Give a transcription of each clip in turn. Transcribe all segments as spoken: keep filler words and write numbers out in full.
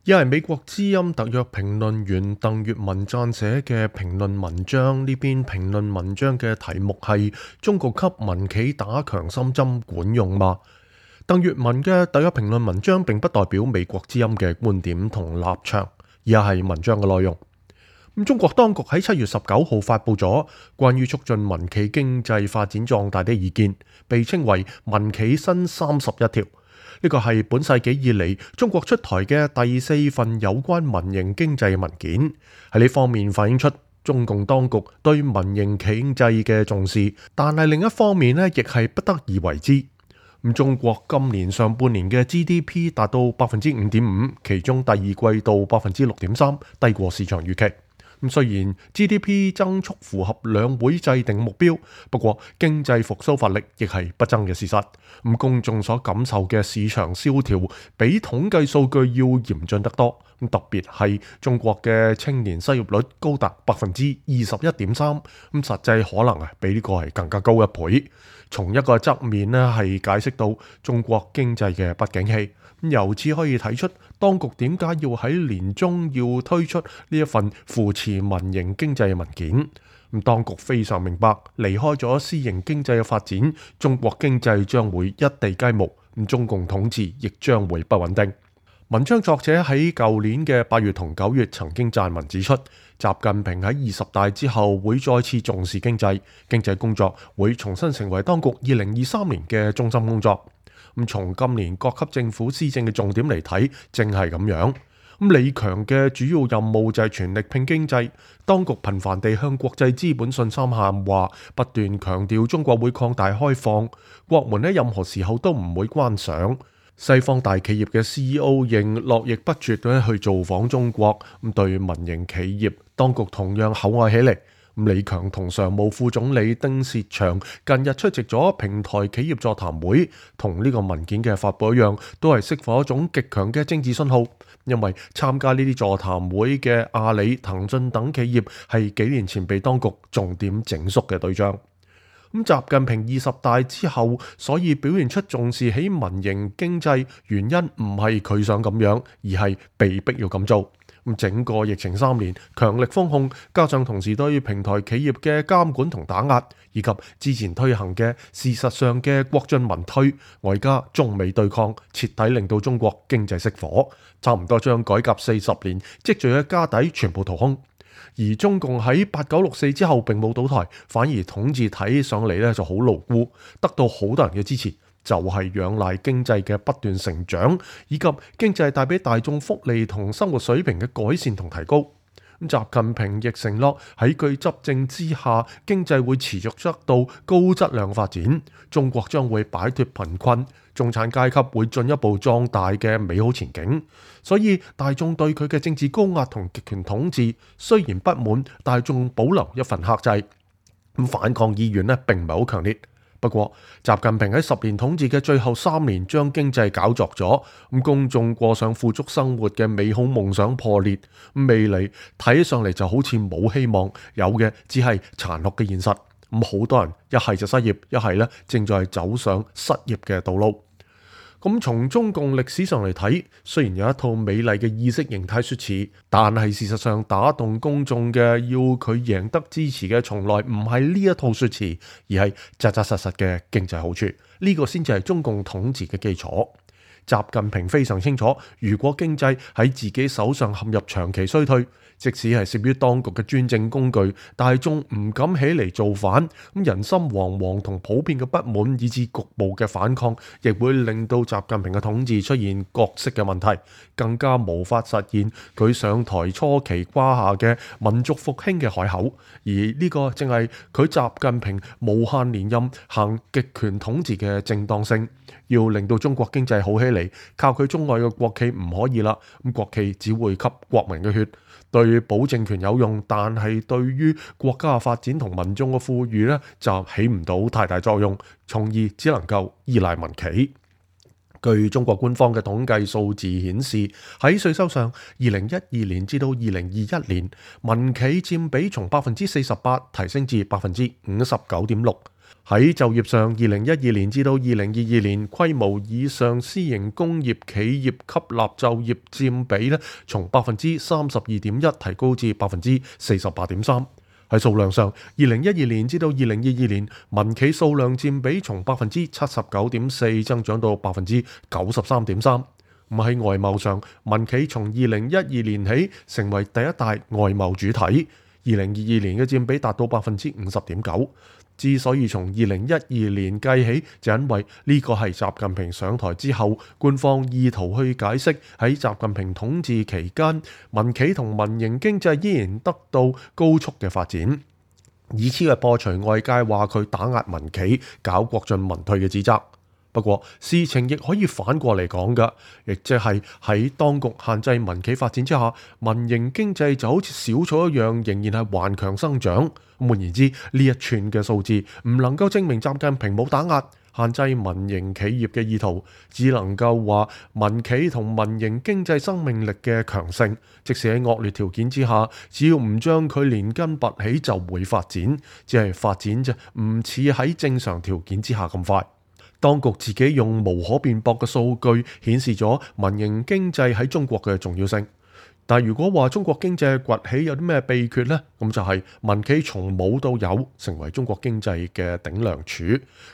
一係美國之音特約評論員鄧月文撰寫嘅評論文章，呢篇評論文章嘅題目係中國給民企打強心針管用嗎？鄧月文嘅特約評論文章並不代表美國之音嘅觀點同立場，而係文章嘅內容。咁中國當局喺七月十九號發佈咗關於促進民企經濟發展壯大的意見，被稱為民企新三十一條。呢個係本世紀以嚟中國出台嘅第四份有關民營經濟文件，喺呢方面反映出中共當局對民營經濟嘅重視，但係另一方面呢，亦係不得而為之。咁中國今年上半年嘅 G D P 達到百分之五點五，其中第二季度百分之六點三，低過市場預期。咁雖然 G D P 增速符合兩會制定目標，不過經濟復甦乏力亦係不爭嘅事實。咁公眾所感受嘅市場蕭條比統計數據要嚴峻得多。咁特別係中國嘅青年失業率高達百分之二十一點三，咁實際可能啊比呢個係更加高一倍。從一個側面呢係解釋到中國經濟嘅不景氣。由此可以睇出，當局點解要喺年中要推出呢一份扶持民營經濟嘅文件。咁當局非常明白，離開咗私營經濟嘅發展，中國經濟將會一地雞毛，咁中共統治亦將會不穩定。文章作者喺舊年嘅八月同九月曾經撰文指出，習近平喺二十大之後會再次重視經濟，經濟工作會重新成為當局二零二三年嘅中心工作。咁從今年各級政府施政嘅重點嚟睇，正係咁樣。咁李強嘅主要任務就係全力拼經濟，當局頻繁地向國際資本信心喊話，不斷強調中國會擴大開放，國門喺任何時候都唔會關上。西方大企業嘅 C E O 仍絡繹不絕咁去造訪中國，咁對民營企業當局同樣厚愛起嚟。李強同常務副總理丁薛祥近日出席咗平台企業座談會，同呢個文件嘅發佈一樣，都係釋放一種極強嘅政治信號。因為參加呢啲座談會嘅阿里、騰訊等企業係幾年前被當局重點整肅嘅對象。咁習近平二十大之後，所以表現出重視起民營經濟，原因唔係佢想咁樣，而係被逼要咁做。咁整個疫情三年，強力封控，加上同時對平台企業嘅監管同打壓，以及之前推行嘅事實上嘅國進民退，外加中美對抗，徹底令到中國經濟熄火，差唔多將改革四十年積聚嘅家底全部掏空。而中共喺八九六四之後並冇倒台，反而統治睇上嚟咧就好牢固，得到好多人嘅支持，就係仰賴經濟嘅不斷成長，以及經濟帶俾大眾福利同生活水平嘅改善同提高。咁習近平亦承諾喺佢執政之下，經濟會持續得到高質量發展，中國將會擺脫貧困，中產階級會進一步壯大嘅美好前景。所以大眾對佢嘅政治高壓同極權統治雖然不滿，但係仲保留一份克制。咁反抗意願呢並唔係好強烈。不過，習近平喺十年統治嘅最後三年，將經濟搞作咗，咁公眾過上富足生活嘅美好夢想破裂，未來睇上嚟就好似冇希望，有嘅只係殘酷嘅現實。咁好多人一係就失業，一係咧正在走上失業嘅道路。咁從中共歷史上嚟睇，雖然有一套美麗嘅意識形態說辭，但係事實上打動公眾嘅，要佢贏得支持嘅，從來唔係呢一套說辭，而係扎扎實實嘅經濟好處。呢個先至係中共統治嘅基礎。習近平非常清楚，如果經濟喺自己手上陷入長期衰退，即使係攝於當局嘅專政工具，大眾唔敢起嚟造反，咁人心惶惶同普遍嘅不滿，以至局部嘅反抗，亦會令到習近平嘅統治出現角色嘅問題，更加無法實現佢上台初期誇下嘅民族復興嘅海口。而呢個正係佢習近平無限連任行極權統治嘅正當性。要令到中國經濟好起嚟，靠佢中外嘅國企唔可以啦。咁國企只會吸國民嘅血，對保政權有用，但係對於國家嘅發展同民眾嘅富裕呢，就起唔到太大作用，從而只能夠依賴民企。據中國官方嘅統計數字顯示，喺稅收上，二零一二年至到二零二一年，民企佔比從百分之四十八提升至百分之五十九點六。喺就業上，二零一二年至到二零二二年，規模以上私營工業企業吸納就業佔比咧，從百分之三十二點一提高至百分之四十八點三。喺數量上，二零一二年至到二零二二年，民企數量佔比從百分之七十九點四增長到百分之九十三點三。咁喺外貿上，民企從二零一二年起成為第一大外貿主體，二零二二年嘅佔比達到百分之五十點九。之所以從二零一二年計起，就因為呢個係習近平上台之後，官方意圖去解釋喺習近平統治期間，民企同民營經濟依然得到高速嘅發展，以此嚟破除外界話佢打壓民企、搞國進民退嘅指責。不過事情亦可以反過嚟講㗎，亦即係喺當局限制民企發展之下，民營經濟就好似小草一樣，仍然係頑強生長。換言之，呢一串嘅數字唔能夠證明習近平冇打壓、限制民營企業嘅意圖，只能夠話民企同民營經濟生命力嘅強盛，即使喺惡劣條件之下，只要唔將佢連根拔起，就會發展，只係發展啫，唔似喺正常條件之下咁快。當局自己用無可辯駁嘅數據顯示咗民營經濟喺中國嘅重要性。但如果話中國經濟崛起有啲咩秘訣呢？咁就係民企從冇到有，成為中國經濟嘅頂梁柱。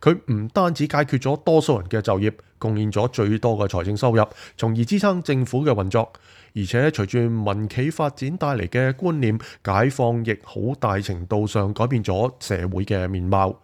佢唔單止解決咗多數人嘅就業，貢獻咗最多嘅財政收入，從而支撐政府嘅運作。而且隨住民企發展帶嚟嘅觀念解放，亦好大程度上改變咗社會嘅面貌。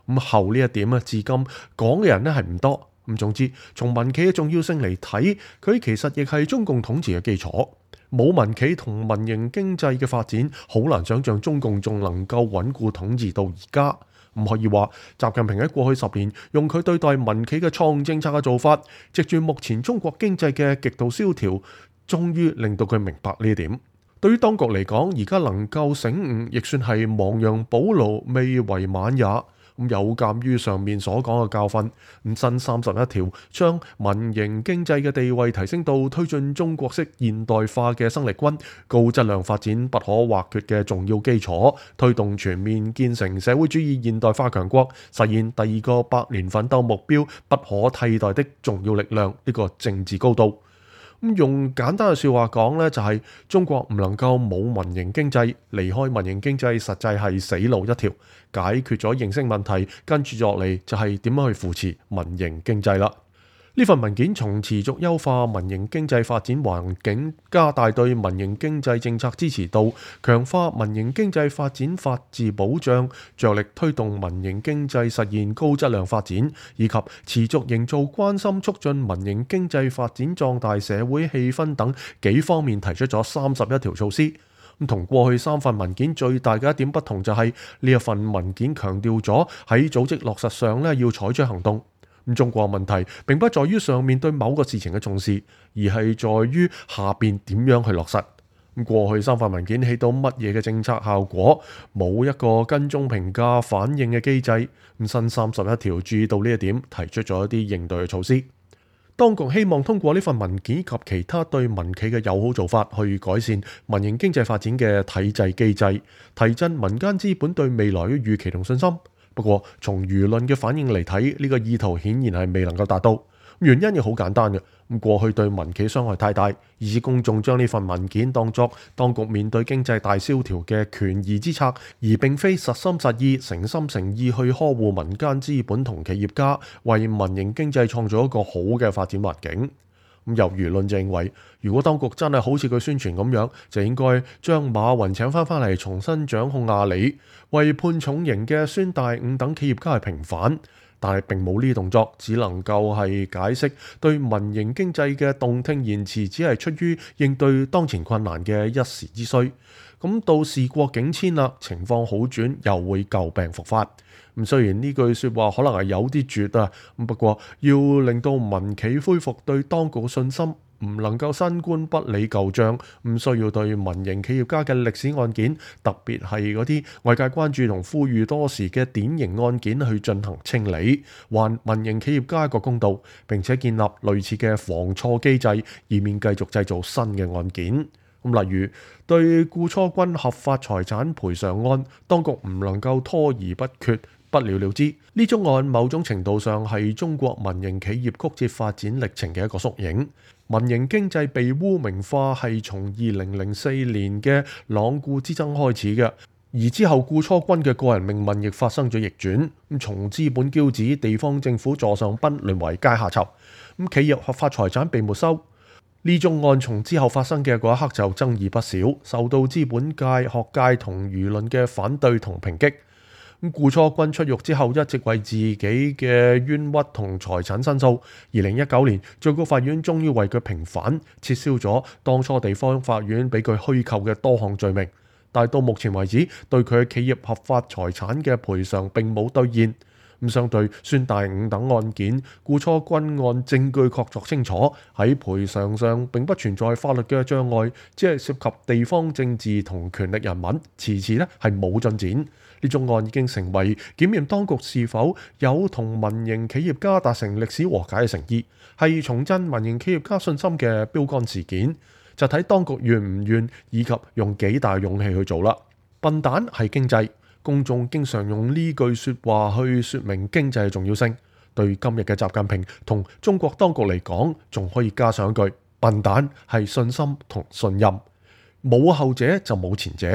咁後呢一點啊，至今講嘅人咧係唔多。咁總之，從民企嘅重要性嚟睇，佢其實亦係中共統治嘅基礎。冇民企同民營經濟嘅發展，好難想像中共仲能夠穩固統治到而家。唔可以話習近平喺過去十年用佢對待民企嘅創政策嘅做法，藉住目前中國經濟嘅極度蕭條，終於令到佢明白呢一點。對於當局嚟講，而家能夠醒悟，亦算係亡羊補牢，未為晚也。咁有鑑於上面所講嘅教訓，咁新三十一條將民營經濟嘅地位提升到推進中國式現代化嘅生力軍、高質量發展不可或缺嘅重要基礎，推動全面建成社會主義現代化強國，實現第二個百年奮鬥目標不可替代的重要力量，呢個政治高度。咁用簡單嘅説話講呢，就係中國唔能夠冇民營經濟，離開民營經濟實際係死路一條。解決咗形式問題，跟住落嚟就係點樣去扶持民營經濟啦。呢份文件從持續優化民營經濟發展環境、加大對民營經濟政策支持度、強化民營經濟發展法治保障、着力推動民營經濟實現高質量發展，以及持續營造關心促進民營經濟發展壯大社會氣氛等幾方面提出咗三十一條措施。咁同過去三份文件最大嘅一點不同就係呢一份文件強調咗喺組織落實上咧要採取行動。咁中國問題並不在於上面對某個事情嘅重視，而係在於下邊點樣去落實。咁過去三份文件起到乜嘢嘅政策效果，冇一個跟蹤評價反應嘅機制。咁新三十一條注意到呢一點，提出咗一啲應對嘅措施。當局希望通過呢份文件及其他對民企嘅友好做法，去改善民營經濟發展嘅體制機制，提振民間資本對未來嘅預期同信心。不過，從輿論嘅反應嚟睇，呢個意圖顯然係未能夠達到。原因亦好簡單嘅，咁過去對民企傷害太大，以致公眾將呢份文件當作當局面對經濟大蕭條嘅權宜之策，而並非實心實意、誠心誠意去呵護民間資本同企業家，為民營經濟創造一個好嘅發展環境。咁由輿論就認為，如果當局真係好似佢宣傳咁樣，就應該將馬雲請翻返嚟重新掌控阿里，為判重刑嘅孫大午等企業家係平反。但係並冇呢啲動作，只能夠係解釋對民營經濟嘅動聽言辭，只係出於應對當前困難嘅一時之需。咁到事過境遷啦，情況好轉，又會舊病復發。咁雖然呢句説話可能係有啲絕啊，咁不過要令到民企恢復對當局嘅信心，唔能夠新官不理舊帳，唔需要對民營企業家嘅歷史案件，特別係嗰啲外界關注同呼籲多時嘅典型案件去進行清理，還民營企業家一個公道，並且建立類似嘅防錯機制，以免繼續製造新嘅案件。咁例如對顧初軍合法財產賠償案，當局唔能夠拖而不決，不了了之。呢宗案某種程度上係中國民營企業曲折發展歷程嘅一個縮影。民營經濟被污名化係從二零零四年嘅罔顧之爭開始嘅，而之後顧初君嘅個人命運亦發生咗逆轉。咁從資本驕子、地方政府座上賓淪為階下囚，咁企業合法財產被沒收。呢宗案從之後發生嘅嗰一刻就爭議不少，受到資本界、學界同輿論嘅反對同抨擊。咁顧初君出獄之後，一直為自己嘅冤屈同財產申訴。二零一九年，最高法院終於為佢平反，撤銷咗當初地方法院俾佢虛構嘅多項罪名。但係到目前為止，對佢企業合法財產嘅賠償並冇兌現。咁相對孫大午等案件，顧初君案證據確鑿清楚，喺賠償上並不存在法律嘅障礙，只係涉及地方政治同權力人物，遲遲咧係冇進展。呢宗案已經成為檢驗當局是否有同民營企業家達成歷史和解嘅誠意，係重振民營企業家信心嘅標杆事件。就睇當局願唔願，以及用幾大勇氣去做啦。笨蛋係經濟。公眾經常用呢句說話去說明經濟嘅重要性。對今日嘅習近平同中國當局嚟講，仲可以加上一句：笨蛋係信心同信任。冇後者就冇前者。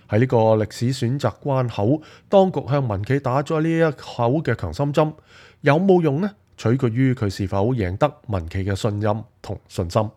喺呢個歷史選擇關口，當局向民企打咗呢一口嘅強心針，有冇用呢？取決於佢是否贏得民企嘅信任同信心。